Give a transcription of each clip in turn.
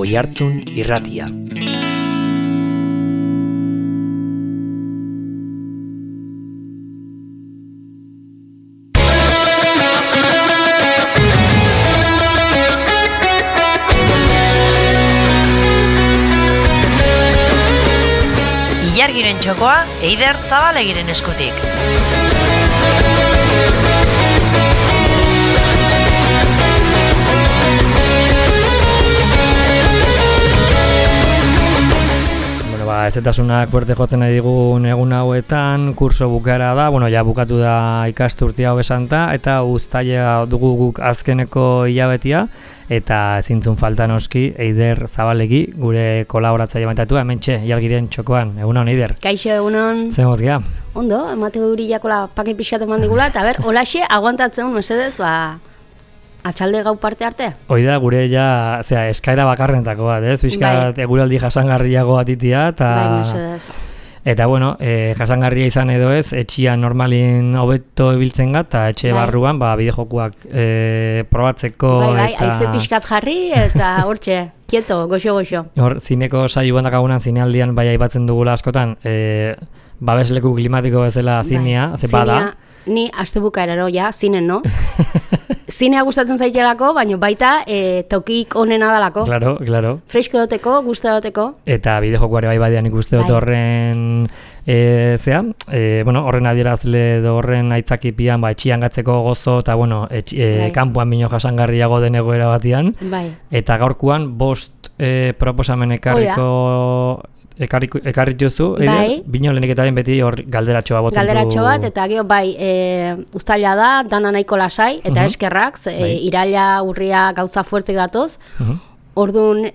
Oihartzun Irratia. Ilargiren txokoa Eider Zabalegiren eskutik. Ezetasunak fuerte jotzen nahi digun egun hauetan, kurso bukara da, ja bukatu da ikasturte hau esanta, eta uztaila dugu guk azkeneko hilabetia, eta ezintzun falta noski Eider Zabalegi, gure kolaboratzaile mantatu, hementxe, Ilargiren txokoan, egunon Eider. Kaixo, egunon. Zer mozgia? Ondo, emate hurillakola pake pixat eman digula, eta holaxe, aguantatzen mesedez, atxalde gau parte arte? Hoi da, gure eskaira bakarrentako bat, ez? Bizkat eguraldi jasangarriago atitia, eta... Bai, mesedez. Eta, jasangarria izan edo ez, etxian normalin hobeto ibiltzen gat, eta etxe barruan, bideojokuak probatzeko, Bai, haize pixkat jarri, eta hortxe, kieto, goxo. Hor, zineko saio dakagunan, zinealdian, aipatzen dugula askotan, babesleku klimatiko bezala zinea, ze bada. Ni astebuka eraro, zinen, no? Zinea gustatzen zaitelako, baina baita tokik onena dalako. Claro. Fresko doteko, gusta doteko. Eta bideojokuare badean ikuste dut horren horren adierazle edo horren aitzakipian etxian gatzeko gozo eta kanpoan bino jasangarriago den egoera batian. Bai. Eta gaurkoan 5 proposamen ekarri duzu, bino lehenik eta beti hor galderatxoa botzen du. Galderatxo bat, eta gero uztaila da, dana nahiko lasai, eta eskerrak, iraila urria gauza fuerte datoz. Orduan,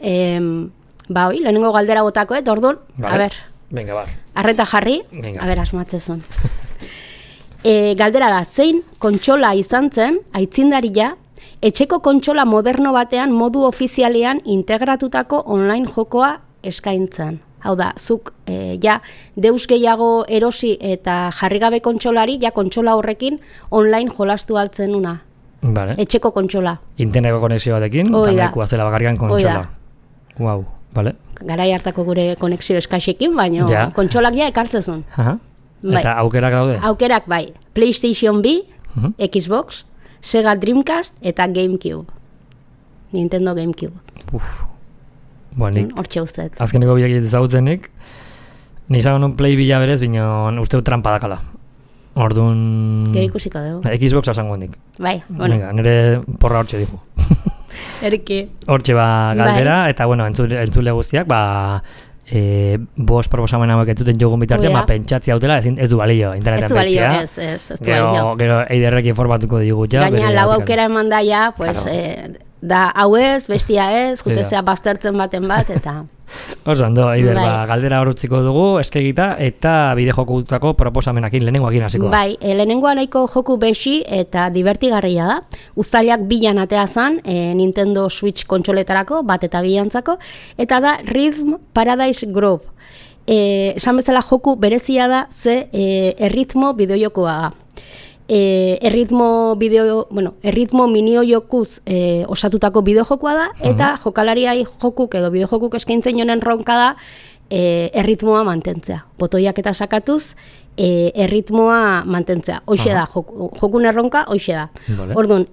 lehenengo galdera botako, orduan, Venga, bar. Arreta jarri, asmatzezun. Galdera da, zein kontsola izan zen, aitzindaria, etxeko kontsola moderno batean modu ofizialean integratutako online jokoa eskaintzen. Hau da, zuk deus gehiago erosi eta jarrigabe kontsolari, kontsola horrekin online jolastu altzen una. Vale. Etxeko kontsola. Interneteko konexio batekin, eta nahikoa zela bakarrian kontsola. Wow, vale. Garai hartako gure konexio eskaxekin, baina kontsolak ekartzezun. Eta aukerak daude? Aukerak PlayStation B, Xbox, Sega Dreamcast eta GameCube. Nintendo GameCube. Hortxe usteet. Azkeneko biak ditu zauzenik, nizago nun Play bila berez, bino uste trampa dakala. Orduan... Gero ikusiko dugu. Xbox asango hendik. Bai, nire porra hortxe dihu. Erki. Hortxe galdera, eta entzule guztiak, 5 proposamen hauek ez duten jogun bitartean, pentsatzi hautela ez du balio internetan betzea. Ez du balio. Gero Eiderrek informatuko digu Gaina, lau aukera eman daia, da hau ez, bestia ez, jutezea baztertzen baten bat, eta... Oso, Eider, galdera horutziko dugu, eskegita, eta bidejokutako proposamenakin, lehenengoakin hasiko. Bai, lehenengoa nahiko joku besi eta divertigarria da. Uztailak bilan atea zan, Nintendo Switch kontsoletarako, bat eta bilantzako, eta da Rhythm Paradise Grove. Esan bezala joku berezia da, ze erritmo bideojokoa da. Erritmo minio-jokuz osatutako bideojokoa da, eta jokalariai jokuk edo bideojokuk eskaintzen jonen ronka da erritmoa mantentzea. Botoiak eta sakatuz, erritmoa mantentzea. Hoxe da, jokun erronka, hoxe da. Orduan,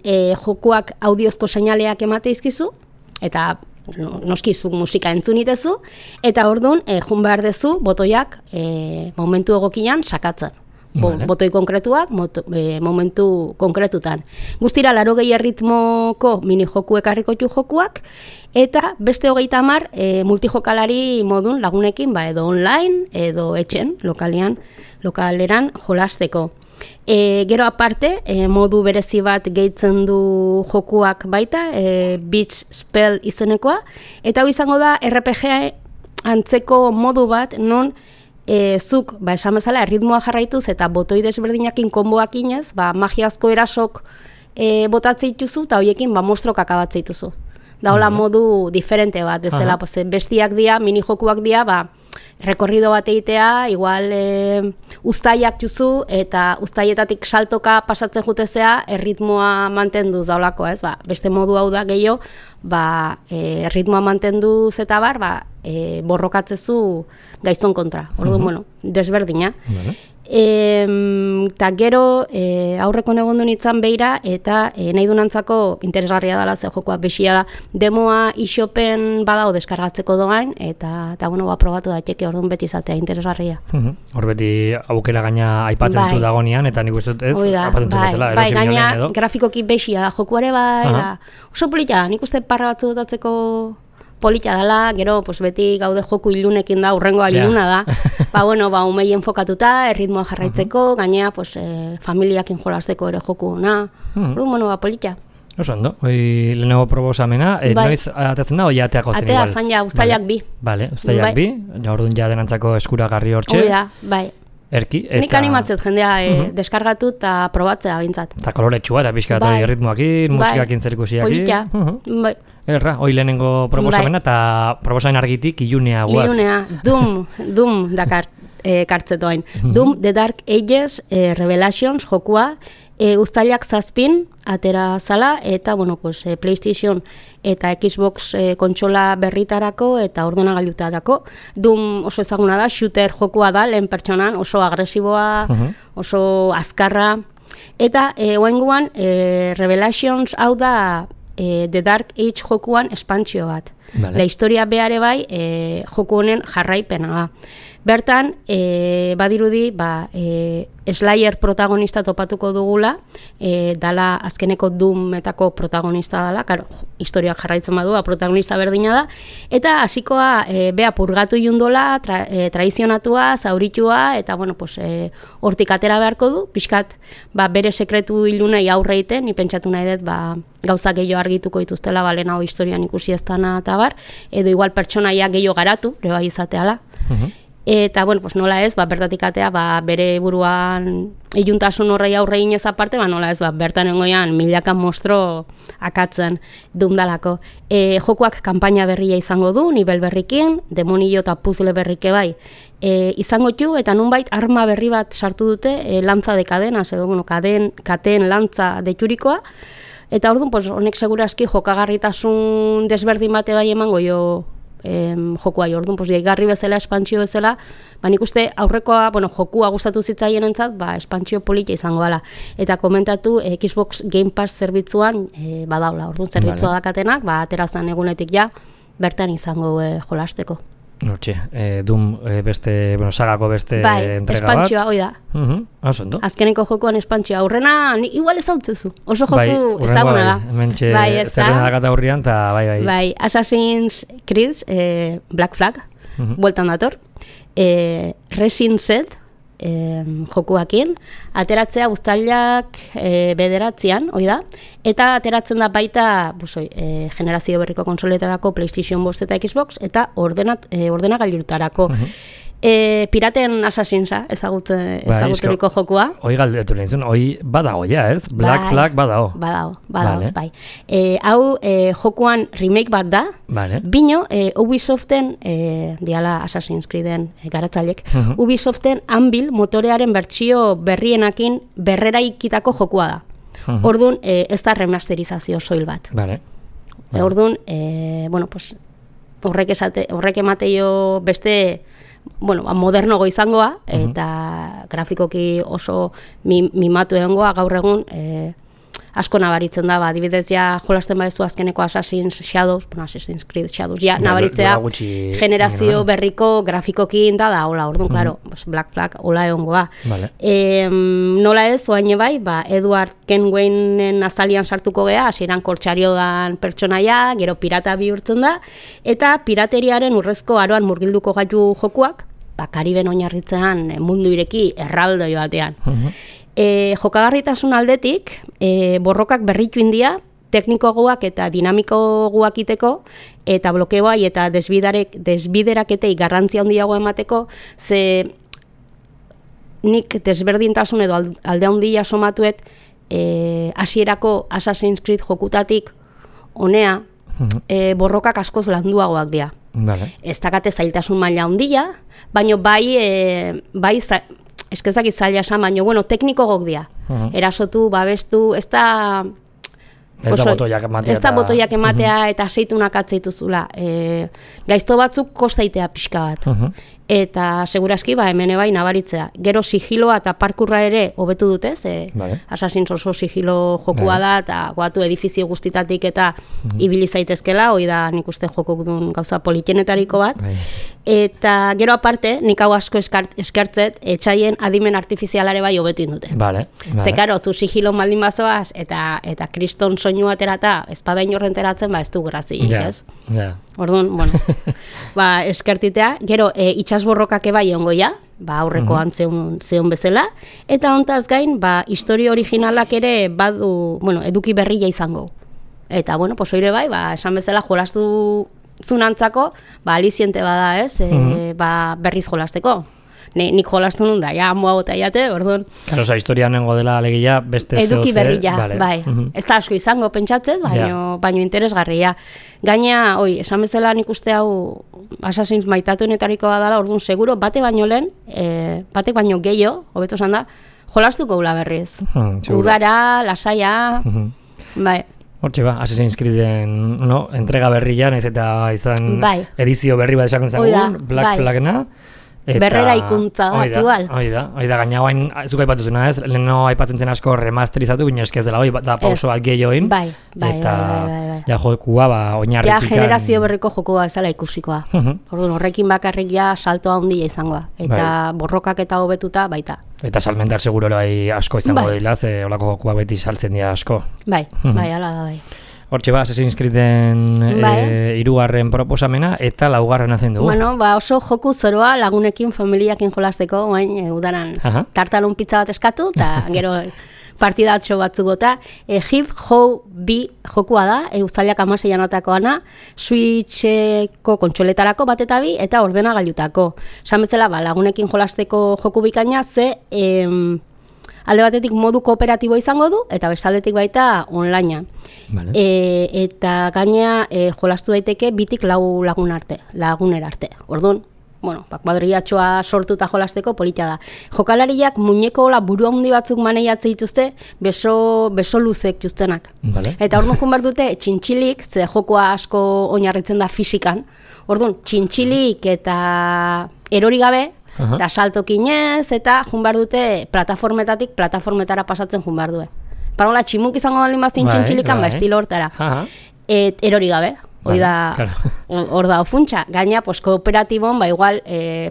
jokuak audiozko seinaleak emate izkizu, eta noskizuk musika entzunitezu, eta orduan, jun behar dezu, botoiak momentu egokian sakatzen. Botoi konkretuak, momentu konkretutan. Guztira, 80 erritmoko mini-joku ekarriko jokuak, eta beste 30 multijokalari modun lagunekin, edo online, edo etxen, lokaleran jolasteko. Gero aparte, modu berezi bat gehitzen du jokuak baita, Beach Spell izenekoa, eta hau izango da RPG antzeko modu bat, non zuk, esan bezala, erritmoa jarraituz eta botoi desberdinakin konboak inez, magiazko erasok botatzea dituzu, eta horiekin monstrok akabatzea dituzu. Da hola modu diferente bat, bezala, bestiak dira, mini jokuak dira, rekorrido bat egitea, igual uztaiak juzu, eta uztaietatik saltoka pasatzen jutezea, erritmoa mantendu zaulako, ez? Beste modu hau da gehiago, erritmoa mantenduz eta borrokatzezu gaizon kontra. Orduan, bueno, desberdina. Eta gero aurreko negondu nintzen behira eta nahi dunantzako interesgarria dela ze jokoa besia da demoa isopen badao deskargatzeko doain eta bueno, probatu daiteke orduan beti izatea interesgarria. Hor beti aukera gaina aipatzen zu dagonean eta nik uste dut ez aipatzen zu bezala erosi gaina edo grafikoki besia da jokuare da oso polita nik uste parra batzu dotatzeko polita dela, gero beti gaude joku ilunekin da, urrengoa iluna da. Umei enfokatuta, erritmoa jarraitzeko, gainea familiakin jolasteko ere joku na. Polita. Oso ondo, lehenago proposamena, noiz atatzen da, ateako zen igual? Atea zan ja, uztailak bi. Bale, uztailak bi, orduan ja denantzako eskuragarri hortxe. Hoi da, bai. Erki, eta... Nik animatzet jendea deskargatu eta probatzea bintzat. Eta koloretsua, eta pixka erritmoakin, musikakin zerikusiakin. Polita, bai. Erra, hoi lehenengo proposamena eta proposamen argitik ilunea guaz. Ilunea, Doom dakar kartzetoain. Doom, The Dark Ages, Revelations, jokua, uztailak 7 atera zala, eta PlayStation eta Xbox kontsola berritarako eta ordenagailutarako. Doom oso ezaguna da, shooter jokua da, lehen pertsonan, oso agresiboa, oso azkarra. Eta oenguan, Revelations hau da The Dark Age jokuan espantzio bat. La historia beare bai joku honen jarraipena da. Bertan, badirudi, Slayer protagonista topatuko dugula, dala azkeneko Doometako protagonista dala, karo, historiak jarraitzen badu, protagonista berdina da, eta hasikoa bea purgatu jundola, traizionatua, zauritua, eta hortik atera beharko du, pixkat bere sekretu ilunei aurre egiten, ni pentsatu nahi dut, gauza gehiago argituko dituztela, lehenago historian ikusi ez dana eta edo igual pertsonaia gehiago garatu, bai izateala. Eta, nola ez, bertatik atea, bere buruan iluntasun horrei aurre inez aparte, nola ez, bertan engoian milaka monstro akatzen dumdalako. Jokuak kanpaina berria izango du, nivel berrikin, demonio eta puzzle berrike bai. Izango txu, eta nunbait arma berri bat sartu dute, lantza de kadenas, edo, katen lantza deturikoa, eta orduan, honek seguraski jokagarritasun desberdin bate bai emango jo jokua orduan, garri bezala, espantzio bezala, nik uste aurrekoa, jokua gustatu zitzaien entzat, espantzio polita izango dela. Eta komentatu Xbox Game Pass zerbitzuan badaula, orduan zerbitzua dakatenak, aterazan egunetik ja, bertan izango jolasteko. Hortxe, Doom beste, sagako beste entrega bat. Espantzioa, hoi da. Ondo. Azkeneko jokoan espantzioa. Aurrena, igual ezautzezu. Oso joku ezaguna da. Hementxe, zerrena dakata hurrian, eta bai. Bai, Assassin's Creed, Black Flag, bueltan dator. Resin Set, jokuakin, ateratzea uztailak bederatzean, hoi da, eta ateratzen da baita generazio berriko konsoletarako PlayStation 5 eta Xbox, eta ordenagailutarako. Piraten Assassinsa ezaguturiko jokua. Hoi galdetu lehen zuen, hoi badago ja, ez? Black Flag badago. Badago, bai. Hau jokuan remake bat da, bino Ubisoften, diala Assassin's Creeden garatzailek, Ubisoften Anvil motorearen bertsio berrienakin berreraikitako jokua da. Orduan, ez da remasterizazio soil bat. Orduan, horrek emateio beste modernogo izangoa, eta grafikoki oso mimatu egongoa gaur egun asko nabaritzen da, adibidez ja jolasten badezu azkeneko Assassin's Creed Shadows, ja nabaritzea generazio berriko grafikokin da hola, orduan, klaro, Black Flag hola egongoa. Nola ez, oain bai, Edward Kenwainen azalian sartuko gea, hasieran kortsario dan pertsonaia, gero pirata bihurtzen da, eta pirateriaren urrezko aroan murgilduko gaitu jokuak, Kariben oinarritzean mundu ireki erraldoi batean. Jokagarritasun aldetik, borrokak berritu india, teknikoagoak eta dinamikoagoak iteko, eta blokeoai eta desbideraketei garrantzia handiago emateko, ze nik desberdintasun edo alde handia somatuet hasierako Assassin's Creed jokutatik honea borrokak askoz landuagoak dira. Vale. Ez dakate zailtasun maila handia, baina eskezak izaila esan, baina, bueno, tekniko gok dira. Erasotu, babestu, ez da... Ez da botoiak ematea. Ez da botoiak ematea eta seitunak atzeituzula. Gaizto batzuk kostaitea pixka bat. Eta seguraski hemen bai nabaritzea. Gero sigiloa eta parkurra ere hobetu dute, Assassin's oso sigilo jokua da, eta guatu edifizio guztitatik eta ibili zaitezkela, hoi da nik uste jokuk duen gauza politenetariko bat. Eta gero aparte, nik hau asko eskertzet, etxaien adimen artifizialare bai hobetu indute. Ze karo, zu sigilo maldin bazoaz, eta kriston soinu aterata, ez padain horrenteratzen, ez du grazik, ez? Orduan, bueno, eskertitea, gero itxasborrokak bai ongoia, aurrekoan zeon bezala, eta hontaz gain, historio originalak ere badu, eduki berria izango. Eta, oire bai, esan bezala jolastu zunantzako, aliziente bada, ez, berriz jolasteko. Nik jolastu nun da, moa bota jate, orduan. Claro, historia nengo dela alegia beste zeo eduki berria, bai. Ez da asko izango pentsatzen, baino interesgarria. Gaina, esan bezala nik uste hau Assassin's maitatuenetariko badala, orduan seguro, batek baino gehiago, hobeto esan da, jolastuko gula berriz. Udara, lasaia, bai. Hortxe Assassin's Creeden entrega berria, naiz eta izan edizio berri bat esaken zagun, Black Flagna. Berrera ikuntza aktual. Oida, gaina guain, zuk aipatu zuna ez, leheno aipatzen zen asko remasterizatu, baina eskez dela, da pauso bat gehioin. Bai. Ja jokua, oinarritik. Ja generazio berriko jokua ezala ikusikoa. Orduan, horrekin bakarrik salto handia izangoa. Eta borrokak eta hobetuta baita. Eta salmentar seguro asko izango dila, ze olako jokua beti saltzen dira asko. Bai, ala da bai. Hortxe Assassin's Creeden 3. proposamena eta 4. zen dugu. Oso joku zoroa lagunekin, familiakin jolasteko, udaran tartalun pizza bat eskatu, eta gero partidatxo batzuk gota. Hip How B jokua da, uztailak 16 anotakoana, Switcheko kontsoletarako bat eta bi, eta ordenagailutako. Esan bezala, lagunekin jolasteko joku bikaina, ze... alde batetik modu kooperatibo izango du, eta bestaldetik baita onlinea. Eta gainea jolastu daiteke bitik 4 lagunera arte. Orduan, kuadriatxoa sortuta jolasteko polita da. Jokalariak muñeko buru handi batzuk maneiatze dituzte, beso luzek justenak. Eta orduan jun behar dute txintxilik, ze jokoa asko oinarritzen da fisikan. Orduan, txintxilik eta erori gabe, eta saltokinez, eta jun behar dute plataformetara pasatzen jun behar due. Parola, tximuk izango baldin bazin txintxilikan, estilo hortara. Erori gabe, hor da ofuntxa. Gaina, kooperatibon, igual,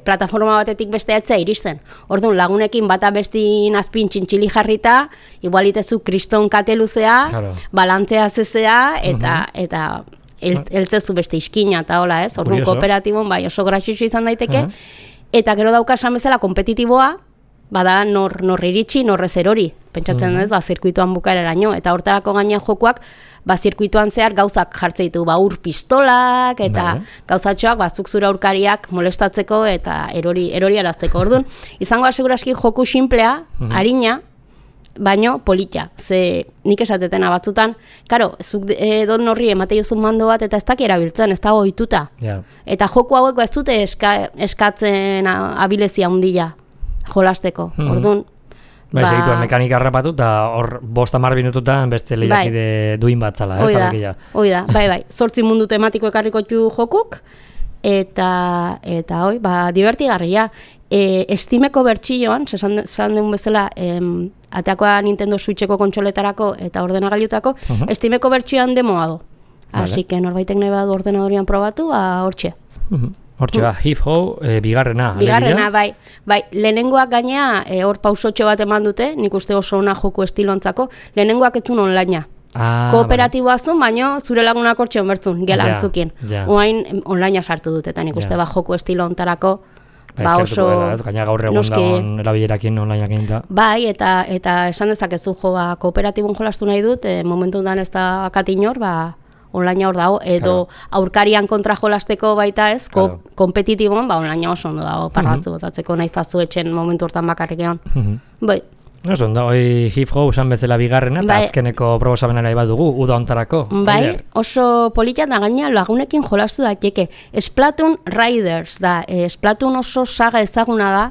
plataforma batetik beste etzea iristen. Orduan, lagunekin bata bestin azpin txintxili jarrita, igual itezu kriston kate luzea, balantzea zezea, eta eltzezu beste iskina, eta hola ez. Orduan, kooperatibon, oso gratxixo izan daiteke, eta gero dauka esan bezala kompetitiboa, bada nor iritsi, norrez erori. Pentsatzen dut, zirkuituan bukaeraraino. Eta hortarako gainean jokuak, zirkuituan zehar gauzak jartze ditu, ur pistolak, eta gauzatxoak, zuk zure aurkariak molestatzeko eta erori arazteko. Orduan, izango aseguraski joku simplea, harina, baino polita. Ze nik esatetena batzutan, karo, zuk don horri emate jozun mando bat eta ez daki erabiltzen, ez da ohituta. Eta joku haueko ez dute eskatzen abilezia handia jolasteko. Orduan, segituan mekanika harrapatu eta hor 5-10 minututan beste lehiakide duin batzala. Oida, bai. 8 mundu tematiko ekarriko jokuk, eta divertigarria. Steameko bertxilloan, esan den bezala, ateakoa Nintendo Switcheko kontsoletarako eta ordenagailutako, Steameko bertxilloan demoa du. Así que norbaitek nahi badu ordenadorian probatu, hortxe. Hortxe, Hip How, bigarrena. Bigarrena, bai. Lehenengoak gainea, hor pausotxo bat eman dute, nik uste oso ona joku estilontzako, lehenengoak etzun onlinea. Kooperatiboa zun, baino zure lagunak hortxe onbertzun, gelan zukin. Oain onlinea sartu dut, eta nik uste joku estilontarako, oso... Gaina gaur egun dagoen erabilerakin onlineak egin da. Bai, eta esan dezakezu kooperatibon jolastu nahi dut, momentu dan ez da akatinor, onlinea hor dago, edo aurkarian kontra jolasteko baita ez, kompetitibon, onlinea oso ondo dago, parratzu botatzeko nahiz tazu etxen momentu hortan bakarrik egon. Bai. Oso, ondo, hip-hop usan bezala bigarrena, eta azkeneko proposamenera badugu, uda ontarako. Bai, oso polita da gaina lagunekin jolastu daiteke. Splatoon Riders da, Splatoon oso saga ezaguna da,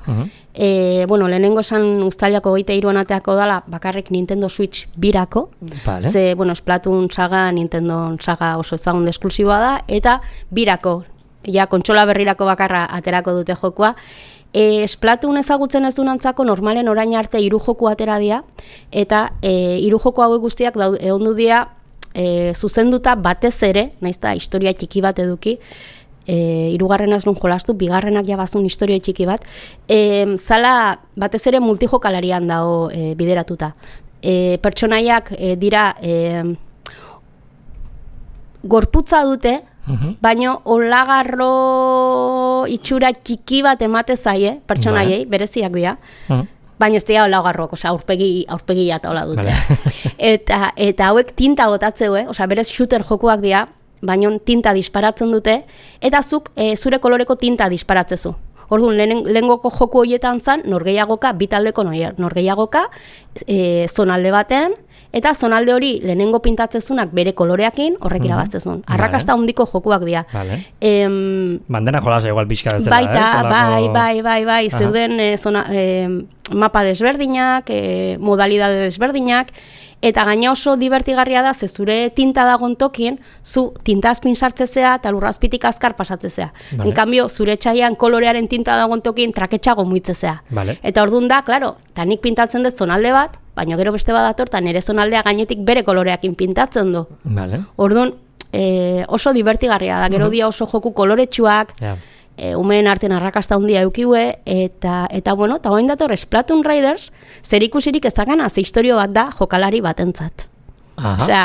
bueno, lehenengo esan uztailako 23 ateako dala, bakarrik Nintendo Switch birako, vale. Ze, bueno, Splatoon saga, Nintendo saga oso ezagun de esklusiboa da, eta birako, ja, kontsola berrirako bakarra aterako dute jokua. Splatoon ezagutzen ez dunantzako normalen orain arte 3 joku atera dira, eta 3 joku hauek guztiak egondu dira zuzenduta batez ere, naizta historia txiki bat eduki, 3. nun jolastu, 2. jabazun historia txiki bat, zala batez ere multijokalarian dago bideratuta. Pertsonaiak dira gorputza dute, baino olagarro itxura txiki bat emate zaie, pertsonaiei, bereziak dira, baina ez dira olagarroak, aurpegi eta hola dute. Eta hauek tinta botatzeu, berez shooter jokuak dira, baina tinta disparatzen dute, eta zuk zure koloreko tinta disparatzezu. Orduan, lehengoko joku horietan zan, norgehiagoka, bitaldeko norgehiagoka, zonalde baten, eta zonalde hori lehenengo pintatzezunak bere koloreakin horrek irabaztezun. Arrakasta handiko jokuak dira. Bandena jolasa igual pixka bezala, baita, bai, zeuden mapa desberdinak, modalidade desberdinak, eta gaina oso divertigarria da, ze zure tinta dagoen tokien, zu tintazpin sartzezea eta lurrazpitik azkar pasatzezea. En cambio, zure txaian kolorearen tinta dagoen tokien traketxago muitzezea. Eta orduan da, klaro, eta nik pintatzen dut zonalde bat, baina gero beste bat dator, eta nire zonaldea gainetik bere koloreakin pintatzen du. Orduan, oso divertigarria da, gero dia oso joku koloretsuak, umeen artean arrakasta handia eukiue, eta bueno, eta hoin dator Splatoon Riders, zer ikusirik ez dakana, ze historio bat da jokalari batentzat. Osea,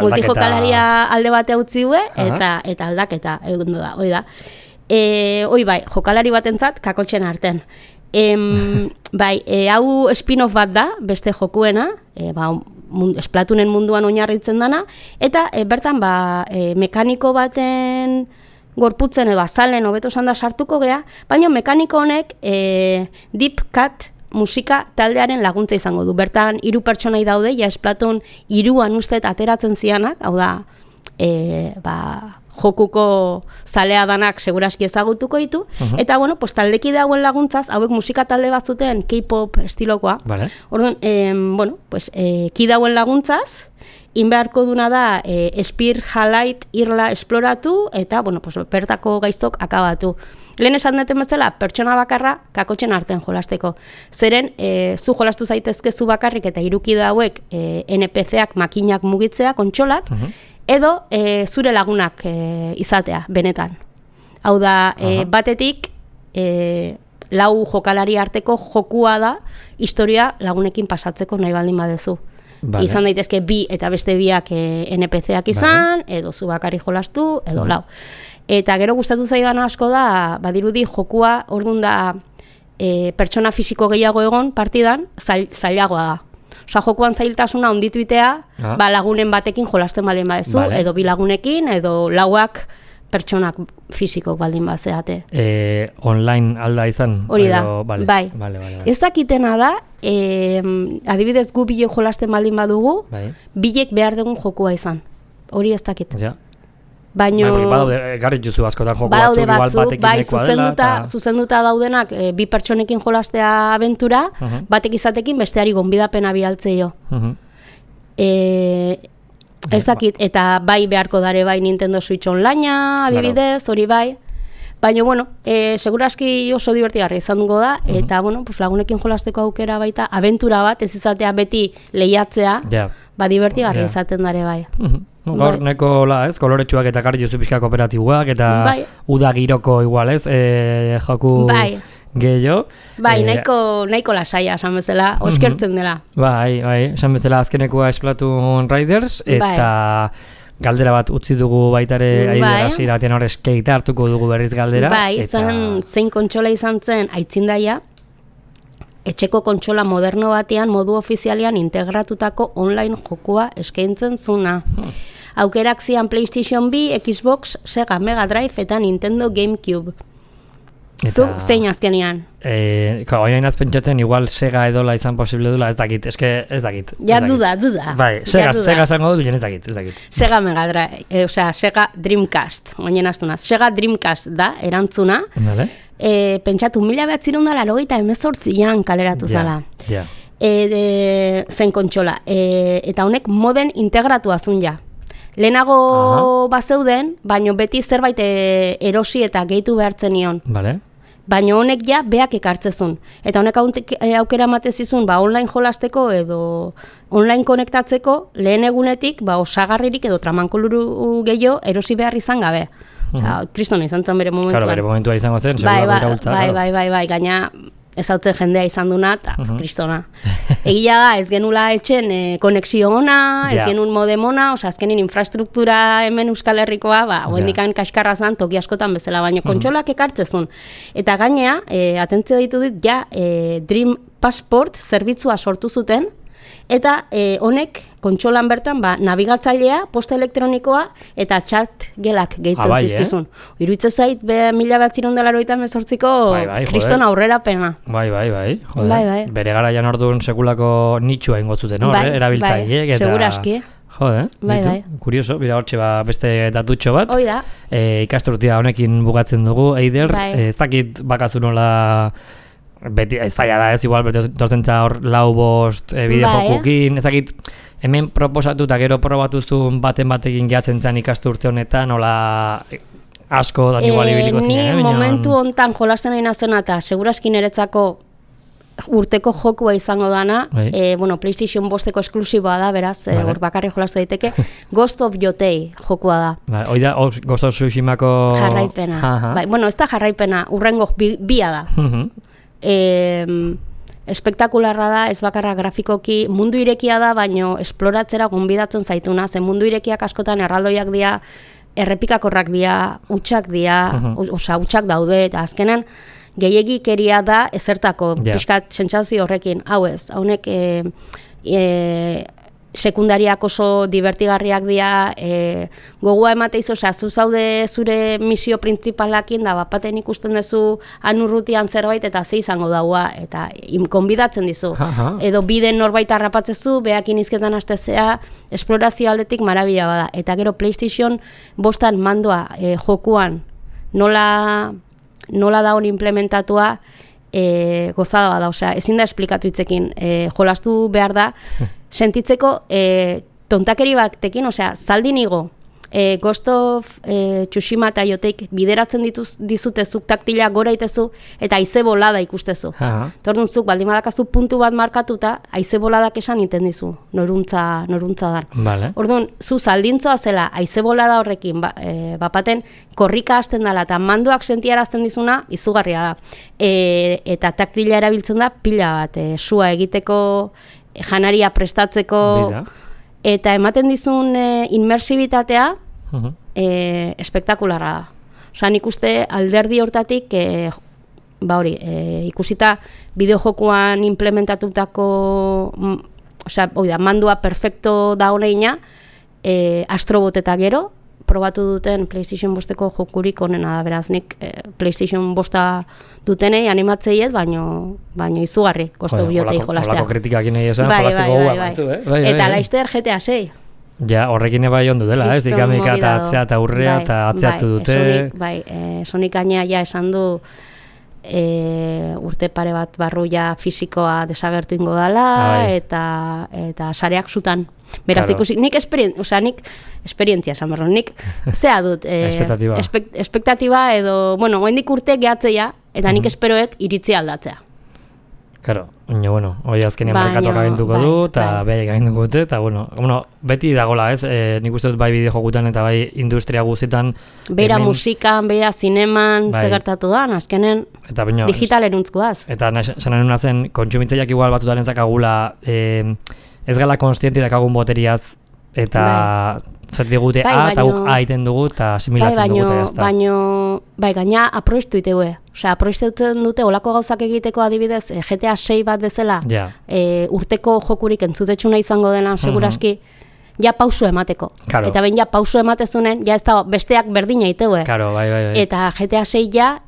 multijokalaria alde bate utzi due, eta aldaketa egun da, hoi da. Hoi bai, jokalari batentzat kakotxen arten. Bai, hau spin-off bat da, beste jokuena, Splatoonen munduan oinarritzen dana, eta bertan mekaniko baten gorputzen edo azalen hobeto esan da sartuko gea, baina mekaniko honek Deep Cut musika taldearen laguntza izango du. Bertan 3 pertsonai daude, ja Splatoon 3an ustet ateratzen zianak, hau da, jokuko zalea danak seguraski ezagutuko ditu, eta bueno, taldeki dauen laguntzaz, hauek musika talde bat zuten K-pop estilokoa. Orduan, ki dauen laguntzaz, inbeharko duna da Spear Highlight irla esploratu eta bertako gaiztok akabatu. Lehen esan duten bezala, pertsona bakarra kakotxen artean jolasteko. Zeren, zu jolastu zaitezke zu bakarrik eta irukide hauek NPC-ak makinak mugitzea, kontsolak, edo zure lagunak izatea, benetan. Hau da, batetik, 4 jokalari arteko jokua da, historia lagunekin pasatzeko nahi baldin badezu. Izan daitezke 2 eta beste 2ak NPC-ak izan, edo zu bakarri jolastu, edo 4. Eta gero gustatu zaidana asko da, badirudi jokua, orduan da, pertsona fisiko gehiago egon partidan, zailagoa da. Osa, jokuan zailtasuna ondituitea, lagunen batekin jolasten baldin badezu, edo 2 lagunekin, edo 4ak pertsonak fisikok baldin bazeate. Online alda izan? Hori da, bai. Ez dakitena da, adibidez gu bile jolasten baldin badugu, bilek behar dugun jokua izan. Hori ez dakit. Baina... Garrit juzu askotan joku batzuk, igual batekin nahikoa dela. Zuzenduta daudenak 2 pertsonekin jolastea abentura, batek izatekin besteari gonbidapena bialtzeio. Ez dakit, eta bai beharko dare bai Nintendo Switch Onlinea, adibidez, hori bai. Baina, bueno, seguraski oso divertigarria izan dugu da, eta, bueno, lagunekin jolasteko aukera baita, abentura bat, ez izatea beti lehiatzea, divertigarria izaten dare bai. Gaur neko koloretsuak eta garri juzu pixka kooperatiboak, eta uda giroko igual, ez, joku... Gehiago. Bai, nahiko lasaia, esan bezala, oskertzen dela. Bai, esan bezala azkenekoa Splatoon Riders, eta galdera bat utzi dugu baitare aidera ziratean hor skate hartuko dugu berriz galdera. Bai, zein kontsola izan zen aitzindaia, etxeko kontsola moderno batean modu ofizialean integratutako online jokua eskaintzen zuna. Aukerak zian PlayStation 2, Xbox, Sega Mega Drive eta Nintendo GameCube. Zuk zein azkenian? Oinain pentsatzen igual Sega edola izan posible dula, ez dakit, ez dakit. Ja, duda. Bai, Sega esango dut, ez dakit. Sega Mega Drive, Sega Dreamcast, oinen astuna. Sega Dreamcast da, erantzuna. Vale. Pentsatu, 1998an kaleratu zala. Ja. Zen kontsola. Eta honek moden integratua zun ja. Lehenago bazeuden, baino beti zerbait erosi eta gehitu behartzen nion. Vale. Baina honek ja beak ekartzezun. Eta honek aukera ematezizun online jolasteko edo online konektatzeko lehen egunetik osagarririk edo tramankoluru gehiago erosi behar izan gabe. Kristona izan zen bere momentuan. Claro, bere momentua izango zen, segura iraultza. Bai, gaina ezautzen jendea izan duna, eta kristona. Egia da, ez genula etxen konexio ona, ez genuen modem ona, azkenin infrastruktura hemen Euskal Herrikoa, hoendikan kaskarra zan, toki askotan bezala, baino kontsolak ekartzezun. Eta gainea, atentzio ditu dit, Dream Passport zerbitzua sortu zuten, eta honek kontsolan bertan nabigatzailea, posta elektronikoa eta chat gelak gehitzen zizkizun. Iruitze zait, 1988ko kriston aurrera pena. Bai. Bere garaian orduan sekulako nitxua ingo zuten, erabiltzaileek. Seguraski. Jode, kurioso, bira hortxe beste datutxo bat. Hoi da. Ikasturtia honekin bukatzen dugu, Eider, ez dakit bakazu nola... Beti, ez da, ez igual, dortentza hor lau bost bideojokukin, ezakit, hemen proposatu eta gero probatuzun batekin gehatzen zen ikasturte honetan, nola asko da igual ibiliko zinen. Ni momentu hontan jolasten nahi nazena eta seguraski niretzako urteko jokua izango dana, PlayStation 5eko esklusiboa da, beraz, hor bakarri jolastu daiteke, Ghost of Yotei jokua da. Hoi da, Ghost of Tsushimako... Jarraipena. Ez da jarraipena, urrengo bia da. Espektakularra da, ez bakarra grafikoki, mundu irekia da, baino esploratzera gonbidatzen zaituna, zen mundu irekiak askotan erraldoiak dira, errepikakorrak dira, utxak dira, utxak daude, eta azkenan gehiegikeria da ezertako, pixkat sentsazio horrekin, hau ez, haunek sekundariak oso divertigarriak dira, gogoa emateiz, zu zaude zure misio printzipalakin, da bapaten ikusten duzu anurrutian zerbait, eta ze izango daua, eta konbidatzen dizu. Edo biden norbait harrapatzezu, behakin izketan hastezea, esplorazio aldetik marabila bada. Eta gero PlayStation 5 mandoa jokuan, nola da hon implementatua, gozada bada, osea, ezin da esplikatu hitzekin, jolastu behar da, sentitzeko tontakeri batekin, osea, zaldin igo, Ghost of Tsushima eta Yoteik bideratzen dizute zuk taktila gora itezu eta haize bolada ikustezu. Tordun zuk, baldin badakazu puntu bat markatuta, haize boladak esan iten dizu, noruntza dan. Orduan, zu zaldintzoa zela, haize bolada horrekin, bapaten korrika hasten dela eta mandoak sentiarazten dizuna, izugarria da. Eta taktila erabiltzen da pila bat, sua egiteko, janaria prestatzeko, eta ematen dizun inmersibitatea espektakularra da. Osa, nik uste alderdi hortatik, ikusita bideojokuan implementatutako, mandua perfecto da honeina, Astrobot eta gero, probatu duten PlayStation 5eko jokurik onena da, beraz, nik PlayStation 5 dutenei animatzeiet, baino izugarri, kostu biotei jolastea. Olako kritikakin nahi esan, jolasteko gua batzu, Eta laizter GTA 6. Ja, horrekin eba jondu dela, ez? Ikamika eta atzea eta urrea eta atzeatu dute. Sonic gainea ja esan du urte pare bat barruia fisikoa desagertu ingo dela, eta sareak zutan. Beraz, ikusi, nik esperientzia esan berro, nik zea dut espektatiba edo, goendik urte gehatzea, eta nik esperoet iritzi aldatzea. Claro, hoi azkenean merkatuak aginduko du, eta behaiek aginduko dute, eta beti dagola, ez? Nik uste dut bai bideojokutan eta bai industria guztietan. Beira musikan, beira zineman, zegertatu da, azkenen digitalen untzkoaz. Eta sanan una zen, kontsumitzaileak igual batutaren zakagula, ez gala konstienti dakagun boteriaz, eta zer digute eta guk aiten dugu, eta asimilatzen dugute, ez da. Gaina aproiztu itegue. Osea, aproizten dute olako gauzak egiteko adibidez, GTA 6 bat bezala, urteko jokurik entzutetxuna izango dena, seguraski, ja pausu emateko. Eta ben ja pausu ematezunen, ja ez da besteak berdina itegue. Bai. Eta GTA 6 ja,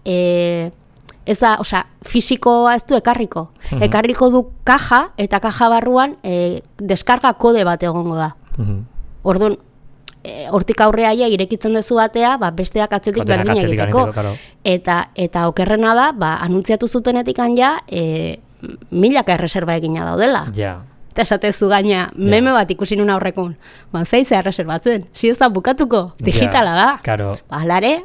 ez da, fisikoa ez du ekarriko. Ekarriko du kaja, eta kaja barruan deskarga kode bat egongo da. Orduan, hortik aurreaia irekitzen duzu batea, besteak atzetik berdin egiteko. Eta okerrena da, anuntziatu zutenetik ja, milaka erreserba egina daudela. Eta esatezu gaina, meme bat ikusi nun aurrekun. Zeize erreserbatzen, ez da bukatuko, digitala da. Halare?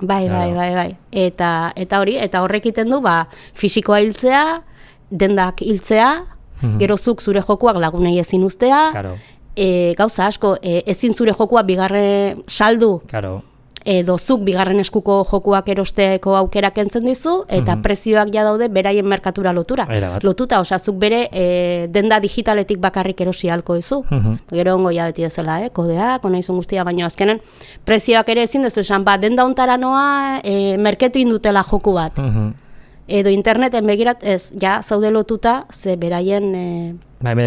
Bai. Eta hori, eta horrek iten du, fisikoa hiltzea, dendak hiltzea, gerozuk zure jokuak lagunei ezin ustea, gauza asko, ezin zure jokua bigarren saldu, edo zuk bigarren eskuko jokuak erosteko aukera kentzen dizu, eta prezioak ja daude beraien merkatura lotuta, zuk bere denda digitaletik bakarrik erosi halko dizu. Gero ongo ja beti ezela, kodeak, onaizun guztia, baina azkenen prezioak ere ezin dezu esan, denda ontara noa merketu indutela joku bat. Edo interneten begirat ez, zaude lotuta, ze beraien...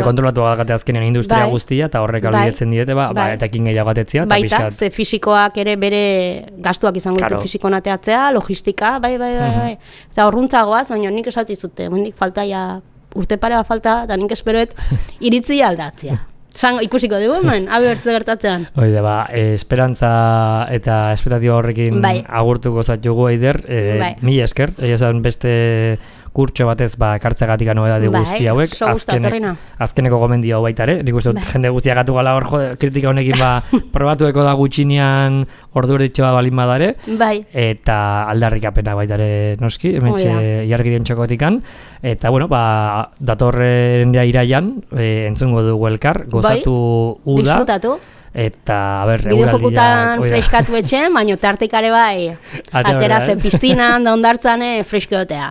kontrolatu bagate azkenean industria guztia, eta horrek albidetzen diete, eta ekin gehiago atetzea. Baita, ze fisikoak ere bere gastuak izango ditu fisiko nateatzea, logistika, bai. Eta horruntzagoaz, baina nik esatizute, mendik falta urte pare bat falta, eta nik esperoet iritzi aldatzea. Ikusiko dugu hemen, bertze gertatzean. Oide, esperantza eta espektatiba horrekin agurtuko zatugu, Eider, mila esker, esan beste kurtso batez kartzegatik anobedade guzti hauek, azkeneko gomendio hau baita ere, nik uste jende guztia gatu gala hor kritika honekin probatueko da gutxinean orduerditxo bat balin badare, eta aldarrikapena baita ere noski, hementxe jargiren txokotikan, eta bueno, datorren iraian, entzungo dugu elkar, gozatu uda, disfrutatu. Eta, bideojokutan freskatu etxen, baina tartikare aterazen piztinan, da ondartzan freskotea.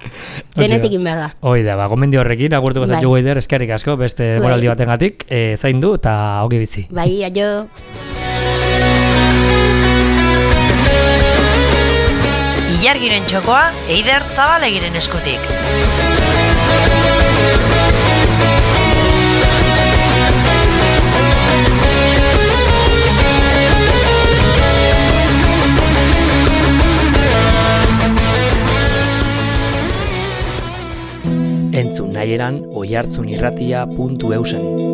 Denetik behar da. Oida, gomendio horrekin, agurtuko zaitu Eider, eskerrik asko, beste moraldi batengatik, zaindu eta ogi bizi. Bai, aio. Ilargiren txokoa, Eider Zabalegiren eskutik. Entzun nahieran oihartzunirratia.eusen.